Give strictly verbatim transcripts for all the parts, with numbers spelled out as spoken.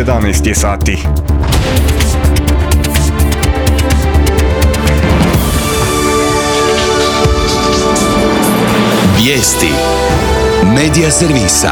jedanaest je sati. Vijesti Medija servisa.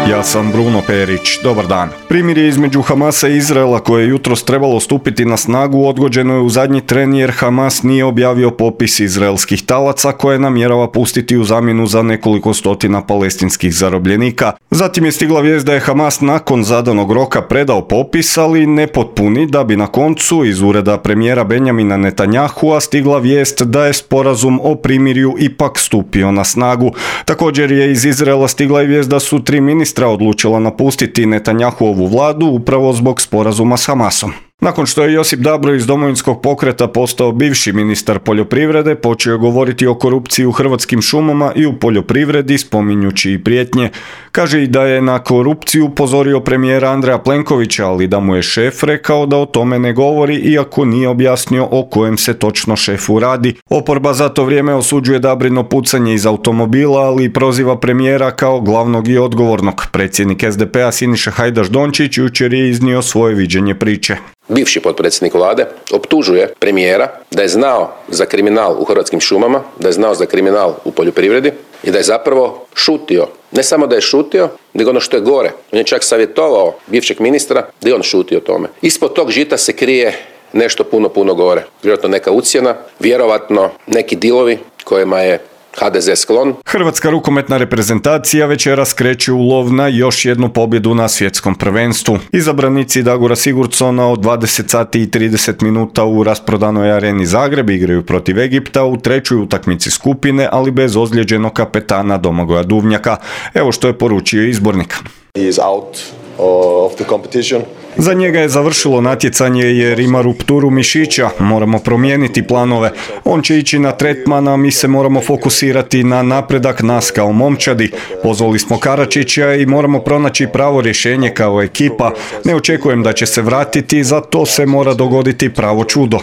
Ja sam Bruno Perić, dobar dan. Primirje između Hamasa i Izraela koje je jutros trebalo stupiti na snagu odgođeno je u zadnji tren jer Hamas nije objavio popis izraelskih talaca koje namjerava pustiti u zamjenu za nekoliko stotina palestinskih zarobljenika. Zatim je stigla vijest da je Hamas nakon zadanog roka predao popis, ali nepotpuni, da bi na koncu iz ureda premijera Benjamina Netanyahua stigla vijest da je sporazum o primirju ipak stupio na snagu. Također je iz Izraela stigla i vijest da su tri ministra odlučila napustiti Netanjahuovu vladu upravo zbog sporazuma s Hamasom. Nakon što je Josip Dabro iz Domovinskog pokreta postao bivši ministar poljoprivrede, počeo je govoriti o korupciji u Hrvatskim šumama i u poljoprivredi, spominjući i prijetnje. Kaže i da je na korupciju upozorio premijera Andreja Plenkovića, ali da mu je šef rekao da o tome ne govori, iako nije objasnio o kojem se točno šefu radi. Oporba za to vrijeme osuđuje Dabrino pucanje iz automobila, ali i proziva premijera kao glavnog i odgovornog. Predsjednik es de pe a Siniša Hajdaš Dončić jučer je iznio svoje viđenje priče. Bivši potpredsjednik vlade optužuje premijera da je znao za kriminal u Hrvatskim šumama, da je znao za kriminal u poljoprivredi i da je zapravo šutio. Ne samo da je šutio, nego ono što je gore. On je čak savjetovao bivšeg ministra da je on šutio o tome. Ispod tog žita se krije nešto puno, puno gore. Vjerojatno neka ucjena, vjerovatno neki dilovi kojima je ha de ze sklon. Hrvatska rukometna reprezentacija večeras kreće u lov na još jednu pobjedu na svjetskom prvenstvu. Izabranici Dagora Sigurdsona od dvadeset sati i trideset minuta u rasprodanoj areni Zagreb igraju protiv Egipta u trećoj utakmici skupine, ali bez ozlijeđenog kapetana Domagoja Duvnjaka. Evo što je poručio izbornik. He is out of the competition. Za njega je završilo natjecanje jer ima rupturu mišića, moramo promijeniti planove. On će ići na tretman, a mi se moramo fokusirati na napredak nas kao momčadi. Pozvali smo Karačića i moramo pronaći pravo rješenje kao ekipa. Ne očekujem da će se vratiti, za to se mora dogoditi pravo čudo.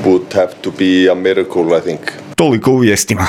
Would have to be a miracle, I think. Toliko u vijestima.